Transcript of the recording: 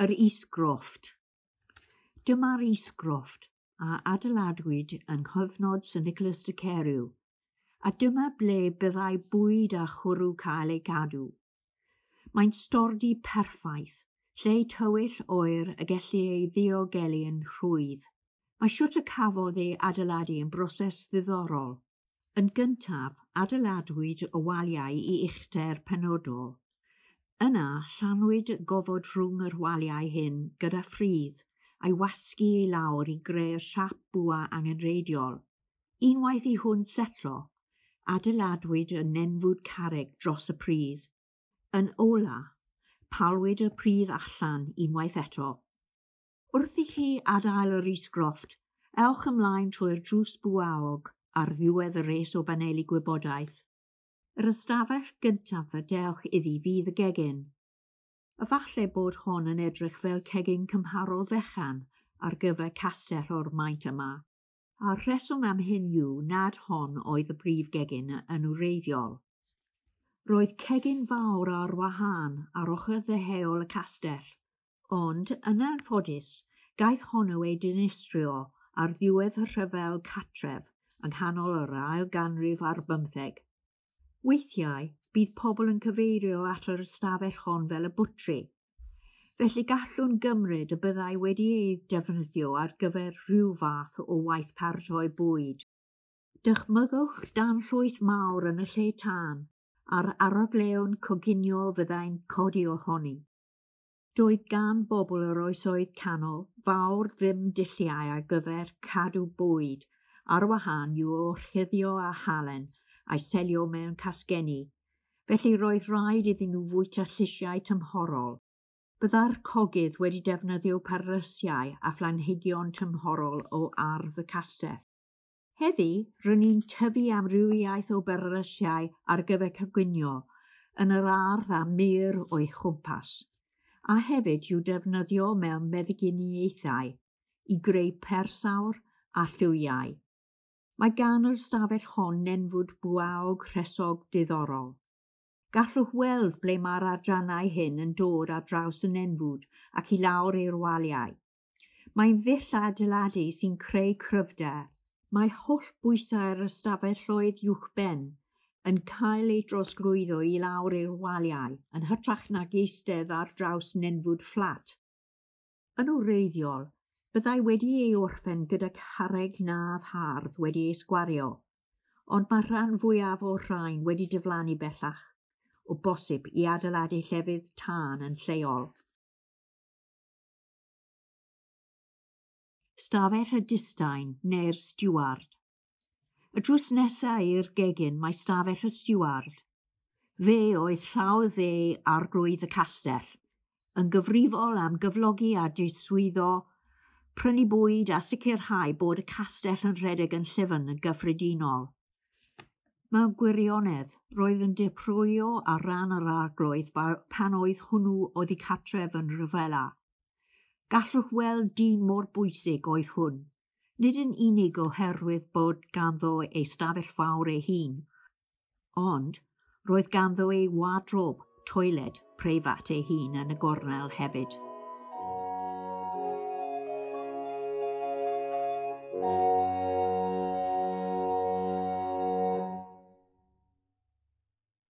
Yr Isgrofft. Dyma'r Isgrofft a adeiladwyd yng nghyfnod Sir Nicholas de Carew, a dyma ble byddai bwyd a chwrw cael ei gadw. Mae'n stordy perffaith, lle tywyll oer y gellir ei ddiogelu yn rhwydd. Mae shwt y cafodd ei adeiladu yn broses ddiddorol. Yn gyntaf, adeiladwyd y waliau i uchder penodol. Yna, llanwyd gofod rhwng yr waliau hyn gyda phridd a'i wasgu i lawr i greu'r siâp bwa angenrheidiol. Unwaith i hwn setlo, adeiladwyd y nenfwd carreg dros y pridd. Yn ola, palwyd y pridd allan unwaith eto. Wrth i chi adael yr isgrofft, ewch ymlaen trwy'r drws bwaog ar ddiwedd y res o baneli gwybodaeth. Yr ystafell gyntaf y dewch iddi fydd y gegin. Efallai bod hon yn edrych fel cegin cymharol fechan ar gyfer castell o'r maint yma. A'r rheswm am hyn yw nad hon oedd y brif gegin yn wreiddiol. Roedd cegin fawr ar wahân ar ochr ddeheuol y castell, ond yn anffodus, gaeth honno ei dinistrio ar ddiwedd y rhyfel cartref yng nghanol yr ail ganrif ar bymtheg. Weithiau, bydd pobl yn cyfeirio at yr ystafell hon fel y bwtri. Felly gallwn gymryd y byddai wedi ei defnyddio ar gyfer rhyw fath o waith paratoi bwyd. Dychmygwch danllwyth mawr yn y lle tân, a'r arogleuon coginio fyddai'n codi ohoni. Doedd gan bobl yr oesoedd canol fawr ddim dulliau ar gyfer cadw bwyd ar wahân i'w orchuddio â halen a'i selio mewn casgenni, felly roedd rhaid iddyn nhw fwyta llysiau tymhorol. Byddai'r cogydd wedi defnyddio perlysiau a phlanhigion tymhorol o ardd y castell. Heddi, rŷn ni'n tyfu amrywiaeth o berlysiau ar gyfer coginio yn yr ardd a mur o'i chwmpas, a hefyd i'w defnyddio mewn meddyginiaethau i greu persawr a llwyau. Mae gan yr ystafell hon nenfwd bwaog rhesog diddorol. Gallwch weld ble mae'r adrannau hyn yn dod ar draws y nenfwd ac i lawr i'r waliau. Mae'n ddull adeiladu sy'n creu cryfder. Mae holl bwysau'r ystafelloedd uwchben yn cael ei drosglwyddo i lawr i'r waliau yn hytrach nag eistedd ar draws nenfwd fflat. Yn wreiddiol, byddai wedi ei orffen gyda carreg nadd hardd wedi ei sgwario, ond mae rhan fwyaf o'r rhain wedi diflannu bellach, o bosib i adeiladu llefydd tân yn lleol. Stafell y distain neu'r stiward. Y drws nesaf i'r gegin mae stafell y stiward. Fe oedd llaw dde arglwydd y castell, yn gyfrifol am gyflogi a diswyddo, prynu bwyd a sicrhau bod y castell yn rhedeg yn llyfn yn gyffredinol. Mewn gwirionedd, roedd yn dirprwyo ar ran yr arglwydd pan oedd hwnnw oddi cartref yn rhyfela. Gallwch weld dyn mor bwysig oedd hwn, nid yn unig oherwydd bod ganddo ei stafell fawr ei hun, ond roedd ganddo ei wardrob, toiled, preifat ei hun yn y gornel hefyd.